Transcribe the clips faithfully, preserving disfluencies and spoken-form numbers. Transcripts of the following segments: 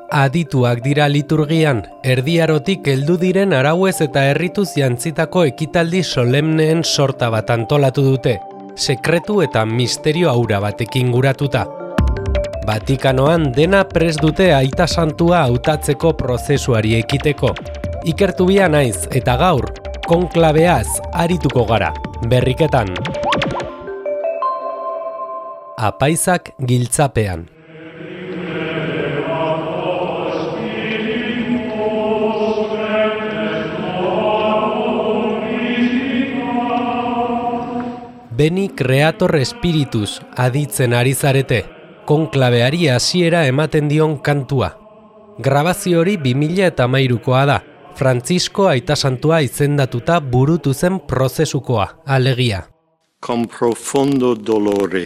Adituak dira liturgian, erdiarotik heldu diren arauez eta errituz jantzitako ekitaldi solemneen sorta bat antolatu dute, sekretu eta misterio aura batekin guratuta. Vatikanoan dena prest dute aita santua hautatzeko prozesuari ekiteko. Ikertu bia naiz eta gaur, konklabeaz arituko gara, berriketan. Apaizak giltzapean. Beni Creator Spiritus aditzen ari zarete, konklabeari hasiera ematen dion kantua. Grabazio hori bi mila hamairukoa da, Frantzisko aita santua izendatuta burutu zen prozesukoa, alegia. Con profondo dolore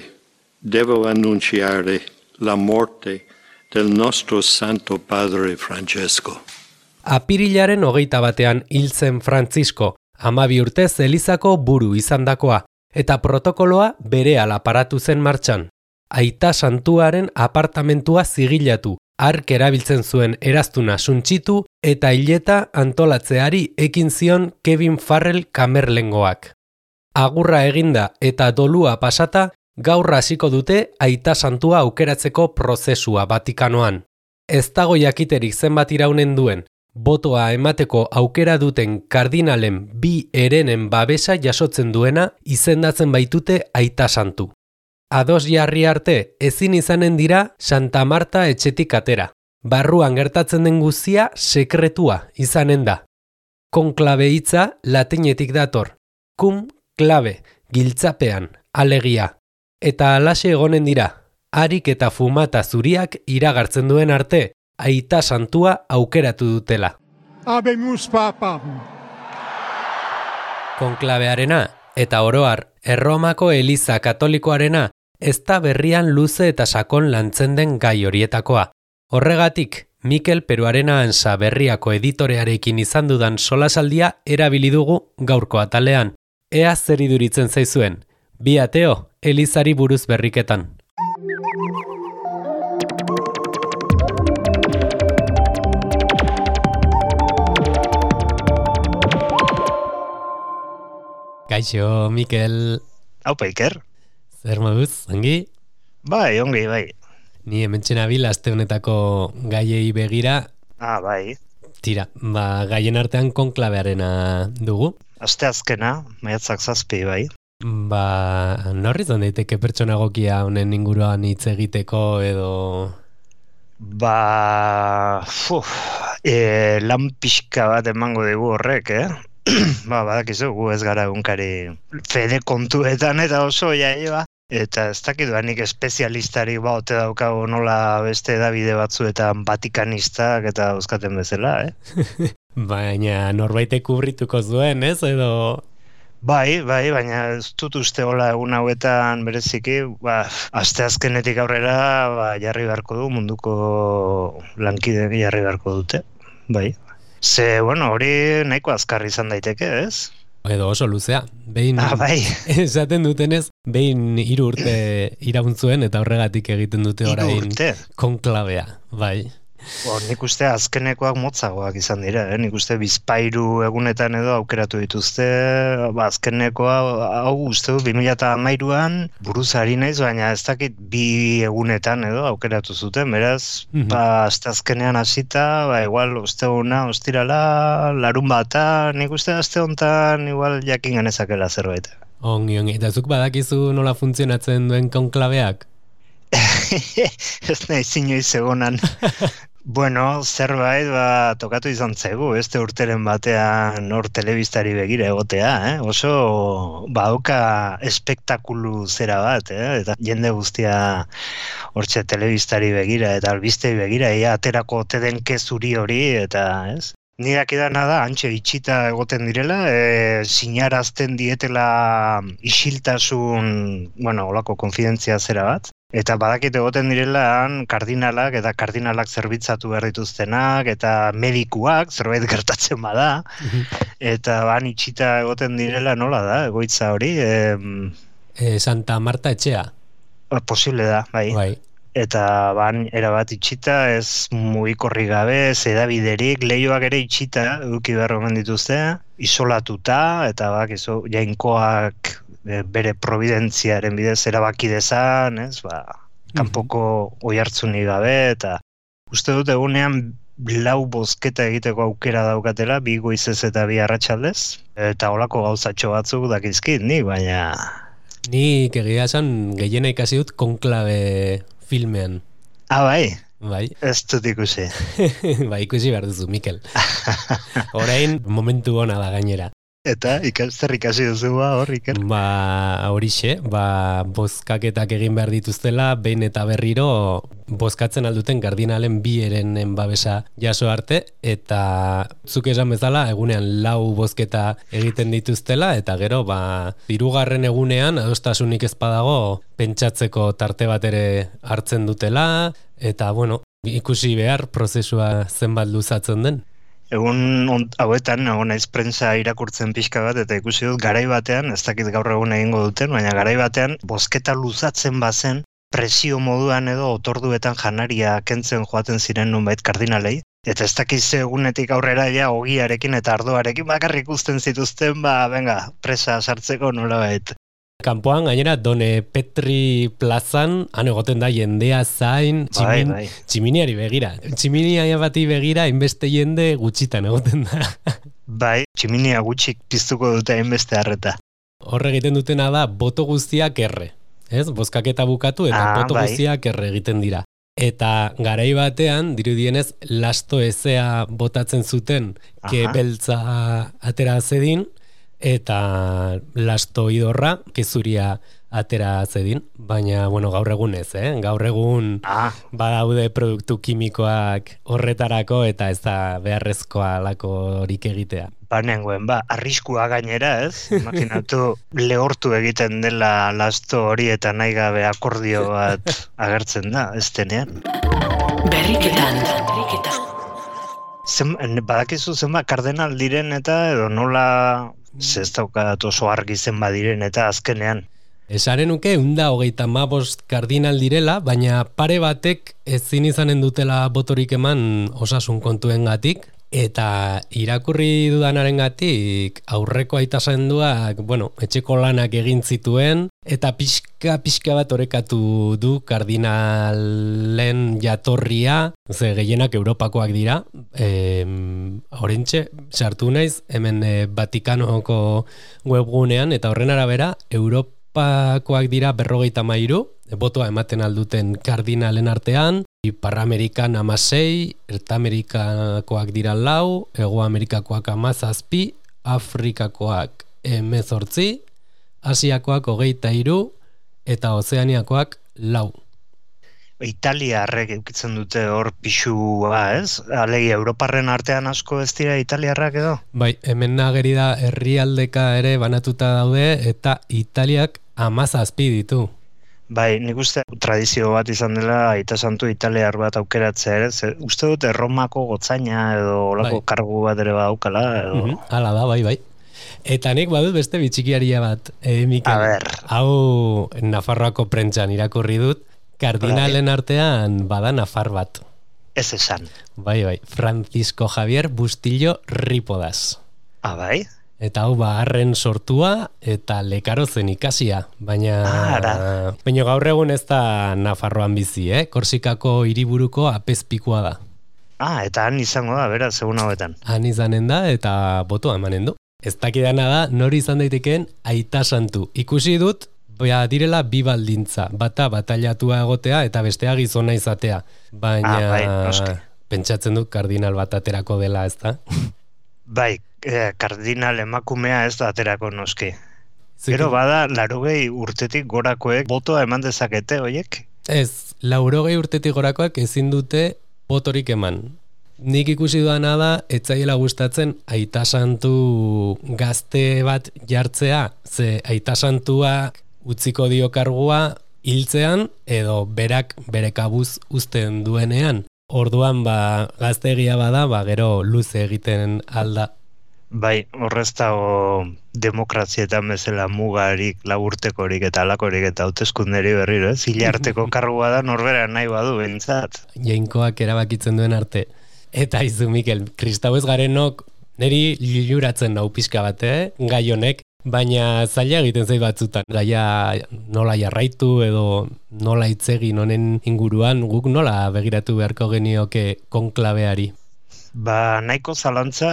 devo annunciare la morte del nostro Santo Padre Francesco. Apirilaren hogeita batean hil zen Frantzisko, hamabi urtez Elizako buru izandakoa, eta protokoloa berehala paratu zen martxan. Aita santuaren apartamentua zigilatu, hark erabiltzen zuen eraztuna suntsitu eta hileta antolatzeari ekin zion Kevin Farrell kamerlengoak. Agurra eginda eta dolua pasata, gaur hasiko dute aita santua aukeratzeko prozesua Vatikanoan. Ez dago jakiterik zenbat iraunen duen, botoa emateko aukera duten kardinalen bi herenen babesa jasotzen duena izendatzen baitute aita santu. Ados jarri arte ezin izanen dira Santa Marta etxetik atera. Barruan gertatzen den guztia sekretua izanen da. Konklabe hitza latinetik dator. Cum clave, giltzapean, alegia. Eta halaxe egonen dira, harik eta fumata zuriak iragartzen duen arte, aita santua aukeratu dutela. Habemus papam. Konklabearena eta oroar Erromako Eliza Katolikoarena ez da berrian luze eta sakon lantzen den gai horietakoa. Horregatik, Mikel Peruarena Ansa berriako editorearekin izan dudan solasaldia erabili dugu gaurko atalean. Ea zer iduritzen zaizuen. Bi ateo, Elizari buruz berriketan. Kaixo, Mikel. Haupa, Iker. Zer moduz, ongi? Bai, ongi, bai. Ni hementxe nabil aste honetako gaiei begira. Ah, bai. Tira, ba, gaien artean konklabearena dugu. Aste azkena, maiatzak zazpi, bai. Ba, norri zan daiteke pertsona egokia honen inguruan hitz egiteko edo... Ba, fuf, e, lan pixka bat emango dugu horrek, eh? Ba, badakizu, gu ez gara egunkari fede kontuetan eta oso jaie ba. Eta ez dakiduanik espezialistarik ba, ote daukago nola beste edabide batzuetan Vatikanistak eta euskaten bezala, eh? Baina norbaitek kubrituko zuen, ez? Edo... Bai, bai, baina ez dut uste hola egun hauetan bereziki, ba, aste azkenetik aurrera ba, jarri beharko du, munduko lankide jarri beharko dute, bai. Ze, bueno, hori nahiko azkar izan daiteke, ez? Edo oso luzea. Behin, ah, bai. Esaten dutenez, behin hiru urte irauntzuen eta horregatik egiten dute orain konklabea, bai. Bo, nik uste azkenekoak motzagoak izan dira, eh? Nik uste bizpairu egunetan edo aukeratu dituzte, ba, azkenekoa, hau uste du, bi mila hamairuan buruz ari naiz, baina ez dakit bi egunetan edo aukeratu zuten, beraz, mm-hmm. ba, azte azkenean hasita, ba, igual, uste hona, ostirala, larun bata, nik uste azte hontan, igual, jakin ganezakela zerbait. Ongi, ongi, eta zuk badakizu nola funtzionatzen duen konklabeak? Ez nahi zinioiz egonan. Bueno, zerbait ba, tokatu izan zaigu, este urteren batean hor telebistari begira egotea, eh? Oso badauka espektakulu zera bat, eh? Eta jende guztia hortxe telebistari begira eta albistei begira, ea aterako ote den kezuri hori, eta ez? Ni dakidana da, antxe itxita egoten direla, e, sinarazten dietela isiltasun, bueno, olako konfidentzia zera bat. Eta badakit egoten direla kardinalak eta kardinalak zerbitzatu behar dituztenak eta medikuak zerbait gertatzen bada. Eta ban itxita egoten direla nola da, egoitza hori. E, e, Santa Marta etxea. Posible da, bai. Bai. eta ban erabat itxita, ez mugikorri gabe, ez edabiderik, lehioak ere itxita, eduki behar omen dituzte, isolatuta, eta bak, izo, jainkoak e, bere providentziaren bidez erabaki dezan, ez, ba, kanpoko oihartzunik gabe, eta uste dut egunean lau bozketa egiteko aukera daukatela, bi goizez eta bi arratsaldez, eta holako gauzatxo batzuk dakizkit, nik, baina... Nik egia esan gehiena ikasi dut konklabe filmean. Ah, bai? Bai. Ez dut ikusi. Ba, ikusi behar duzu, Mikel. Orain, momentu ona da gainera. Eta, zer ikasi duzu ba, hor, Iker? Ba, horixe, ba, bozkaketak egin behar dituztela, behin eta berriro bozkatzen alduten kardinalen bi erenen babesa jaso arte, eta zuk esan bezala, egunean lau bozketa egiten dituztela, eta gero, ba, hirugarren egunean, adostasunik ez badago, pentsatzeko tarte bat ere hartzen dutela, eta, bueno, ikusi behar prozesua zenbat luzatzen den. Egun hauetan, egon naiz prentsa irakurtzen pixka bat, eta ikusi dut garai batean, ez dakit gaur egun egingo duten, baina garai batean, bozketa luzatzen bazen, presio moduan edo otorduetan janaria kentzen joaten ziren nunbait kardinalei, eta ez dakiz egunetik aurrera ja ogiarekin eta ardoarekin bakarrik uzten zituzten, ba, venga, presa sartzeko nolabait. Kanpoan, gainera, Done Petri plazan, han egoten da jendea zain, tximin, bai, bai. tximiniari begira. Tximinia bati begira, inbeste jende gutxitan egoten da. Bai, tximinia gutxik piztuko dute hainbeste harreta. Horre egiten dutena da, boto guztiak erre. Ez? Bozkaketa bukatu eta ah, boto bai. guztiak erre egiten dira. Eta garai batean, dirudienez, lasto ezea botatzen zuten, ke beltza atera zedin, eta lasto idorra, kezuria atera zedin, baina, bueno, gaur egun ez, eh? Gaur egun ah. badaude produktu kimikoak horretarako eta ez da beharrezkoa lakorik egitea. Banengoen, ba, arriskua gainera, ez? Imaginatu, lehortu egiten dela lasto hori eta nahi gabe akordio bat agertzen da, ez denean. Berriketan, berriketan. Zen, badakizu zenba kardenal diren eta edo nola... Ez daukat oso argi zen badiren eta azkenean. Esaren nuke, unda hogeita hamabost kardinal direla, baina pare batek ezin izanen dutela botorik eman osasun kontuengatik, eta irakurri dudanaren-gatik aurreko aitasenduak, bueno, etxeko lanak egin zituen, eta pixka pixka bat orekatu du kardinalen jatorria, ze gehienak Europakoak dira, e, horrentxe, sartu naiz, hemen e, Vatikanoko webgunean, eta horren arabera, Europakoak dira berrogeita hamairu, botoa ematen alduten kardinalen artean, Ipar-Amerikan amasei, Erta-Amerikakoak dira lau, Ego-Amerikakoak amazazpi, Afrikakoak emezortzi, Asiakoak hogeita hiru, eta Ozeaniakoak lau. Italiarrek eukitzen dute hor pixua, ez? Alegi, Europarren artean asko ez dira italiarrak edo? Bai, hemen nageri da herrialdeka ere banatuta daude, eta Italiak amazazpi ditu. Bai, nik uste tradizio bat izan dela Aita Santu italiar bat aukeratzea ere, ze, uste dute Erromako gotzaina edo olako bai. kargu bat ere badaukala edo... Mm-hmm. Hala da, bai, bai. Eta nik badut beste bitxikiaria bat, eh, Mikel. A ber. Hau Nafarroako prentxan irakurri dut, kardinalen artean bada Nafar bat. Ez esan. Bai, bai, Francisco Javier Bustillo Ripodas. Ah, bai? Eta hau baharren sortua eta lekaro zen ikasia, baina ah, baina gaur egun ez da Nafarroan bizi, eh? Korsikako hiriburuko apezpikoa da. Ah, eta han izango da, beraz, egun hauetan. Han izanen da eta botoa emanen du. Ez dakidana da, nori izan daitekeen Aita Santu. Ikusi dut, Ba, direla bi baldintza, bata batailatua egotea eta bestea gizona izatea. Baina ah, bai, pentsatzen dut kardinal bat aterako dela, ez da? Bai, eh, kardinal emakumea ez da aterako noski. Gero bada, laurogei urtetik gorakoek botoa eman dezakete, oiek? Ez, laurogei urtetik gorakoak ezin dute botorik eman. Nik ikusi duana da, etzaiela gustatzen Aita Santu gazte bat jartzea, ze Aita Santua utziko dio kargua hiltzean edo berak bere kabuz uzten duenean. Orduan ba gazteegia bada, ba gero luze egiten alda. Bai, horrez dago demokrazietan bezala mugarik, laburtekorik eta alakorik eta hauteskunderi berriro, ez? Hilarteko kargua da norbera nahi badu behintzat. Jainkoak erabakitzen duen arte. Eta izu, Mikel, kristau ez garenok niri liluratzen nau pixka bat, eh? Gai honek, baina zaila egiten zait batzutan. Gaia nola jarraitu edo nola hitz egin honen inguruan, guk nola begiratu beharko genioke konklabeari? Ba, nahiko zalantza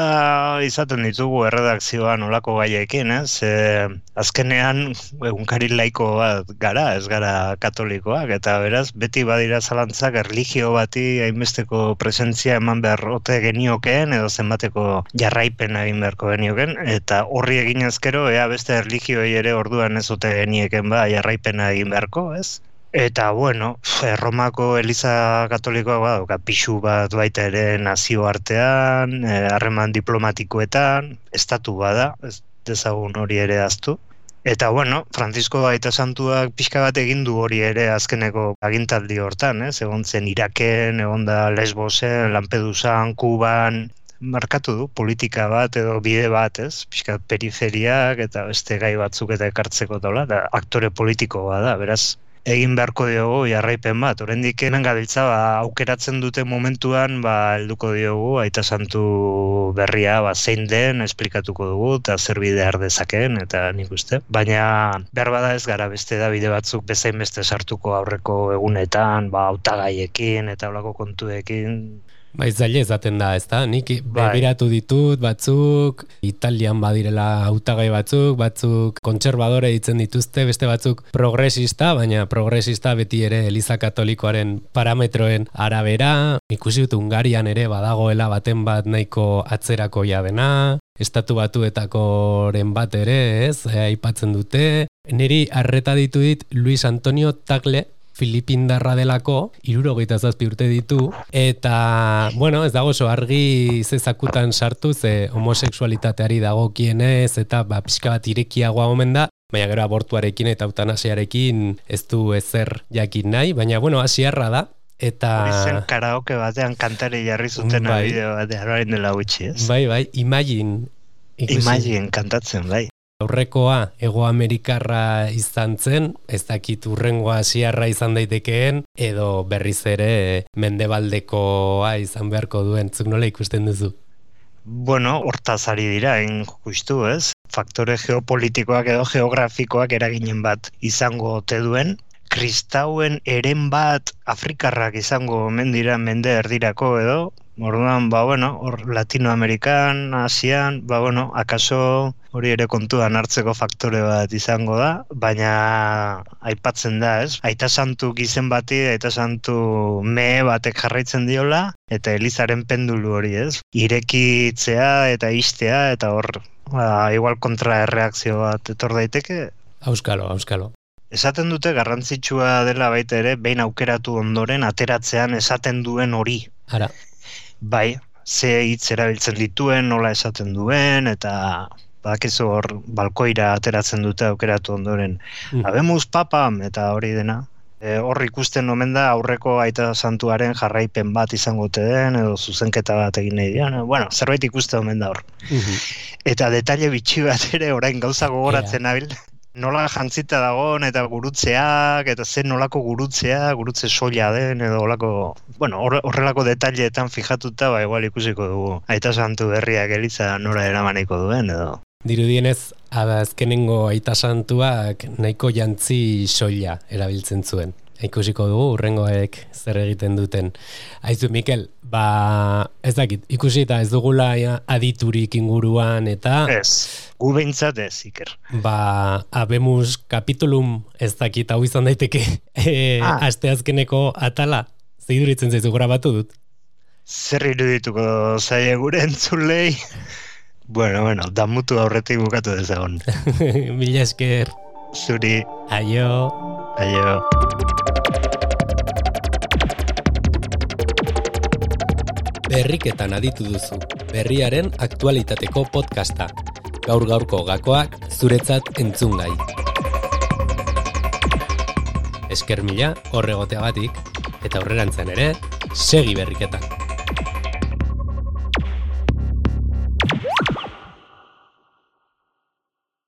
izaten ditugu erredakzioan olako gaiekin, ez? E, azkenean, egunkari laiko bat gara, ez gara katolikoak, eta beraz, beti badira zalantzak erlijio bati hainbesteko presentzia eman behar ote geniokeen, edo zenbateko jarraipen egin beharko genioken, eta horri egin ezkero, ea beste erlijioi ere orduan ez ote genieken ba, jarraipena egin beharko, ez? Eta, bueno, Romako Eliza Katolikoa badauka pixu bat baita ere nazioartean, harreman diplomatikoetan, estatu bada, ez dezagun hori ere aztu. Eta, bueno, Francisco Aita Santuak pixka bat egin du hori ere azkeneko agintaldi hortan, ez? Egon zen Iraken, egon da Lesbosen, Lampedusan, Kuban, markatu du politika bat edo bide bat, ez? Pixka periferiak eta beste gai batzuk eta ekartzeko daula, da aktore politiko bada, beraz. Egin beharko diogu jarraipen bat. Oraindik hemen gabiltza ba, aukeratzen dute momentuan ba helduko diogu Aita Santu berria ba, zein den esplikatuko dugu eta zer bide har dezakeen eta nik uste. Baina behar bada ez gara beste da bide batzuk bezain beste sartuko aurreko egunetan, ba hautagaiekin eta holako kontuekin. Bai, zaila ezaten da, ezta? Nik begiratu ditut batzuk, Italian badirela hautagai batzuk, batzuk kontserbadore ditzen dituzte, beste batzuk progresista, baina progresista beti ere Eliza Katolikoaren parametroen arabera. Ikusi dut Hungarian ere badagoela baten bat nahiko atzerakoia dena, estatu batuetakoren bat ere, ez? Aipatzen dute. Niri arreta ditu dit Luis Antonio Tagle, Filipindarra delako, hirurogeita zazpi urte ditu, eta, bueno, ez dago oso argi zezakutan sartu, ze homosexualitateari dagokienez, eta ba, pixka bat irekiagoa omen da, baina gero abortuarekin eta eutanasiarekin ez du ezer jakin nahi, baina, bueno, asiarra da, eta... Hori zen karaoke batean kantari jarri zuten bai. Bideo batean, orain dela gutxi, ez? Bai, bai, Imagine. Ikusi. Imagine kantatzen, bai. Aurrekoa Hego Amerikarra izan zen, ez dakit urrengoa asiarra izan daitekeen, edo berriz ere mendebaldekoa izan beharko duen, zuk nola ikusten duzu? Bueno, hortaz ari dira, hain justu, ez? Faktore geopolitikoak edo geografikoak eraginen bat izango ote duen, kristauen eren bat Afrikarrak izango omen dira mende erdirako edo, orduan, ba, bueno, hor Latinoamerikan, Asian, ba, bueno, akaso hori ere kontuan hartzeko faktore bat izango da, baina aipatzen da, ez? Aita Santu gizen bati, Aita Santu mehe batek jarraitzen diola, eta Elizaren pendulu hori, ez? Irekitzea eta istea, eta hor, ba, igual kontra erreakzio bat etor daiteke. Auskalo, auskalo. Esaten dute garrantzitsua dela baita ere, behin aukeratu ondoren ateratzean esaten duen hori. Ara. Bai, ze hitz erabiltzen dituen, nola esaten duen, eta badakizu hor balkoira ateratzen dute aukeratu ondoren. Mm. Habemus papam, eta hori dena. E, hor ikusten omen da aurreko Aita Santuaren jarraipen bat izango ote den, edo zuzenketa bat egin nahi dian. Bueno, zerbait ikusten omen da hor. Mm-hmm. Eta detaile bitxi bat ere orain gauza gogoratzen nabil. Nola jantzita dagoen eta gurutzeak, eta zen nolako gurutzea, gurutze soila den, edo olako, bueno, horrelako detaileetan fijatuta, ba, igual ikusiko dugu Aita Santu berriak Eliza nora eramaniko duen, edo. Dirudienez, azkenengo Aita Santuak nahiko jantzi soila erabiltzen zuen. Ikusiko dugu, urrengoek zer egiten duten. Aizu, Mikel, ba, ez dakit, ikusi eta ez dugula aditurik inguruan, eta... Ez, gu behintzat ez, Iker. Ba, Habemus kapitulum ez dakit hau izan daiteke, e, ah. asteazkeneko atala, zeiduritzen zaizu grabatu dut. Zer irudituko zaie gure entzulei? Bueno, bueno, damutu aurretik bukatu dezagon. Mila esker. Zuri. Aio. Aio. Berriketan aditu duzu, berriaren aktualitateko podcasta. Gaur gaurko gakoak zuretzat entzungai. Esker mila horregoteagatik, eta aurrerantzen ere, segi berriketan.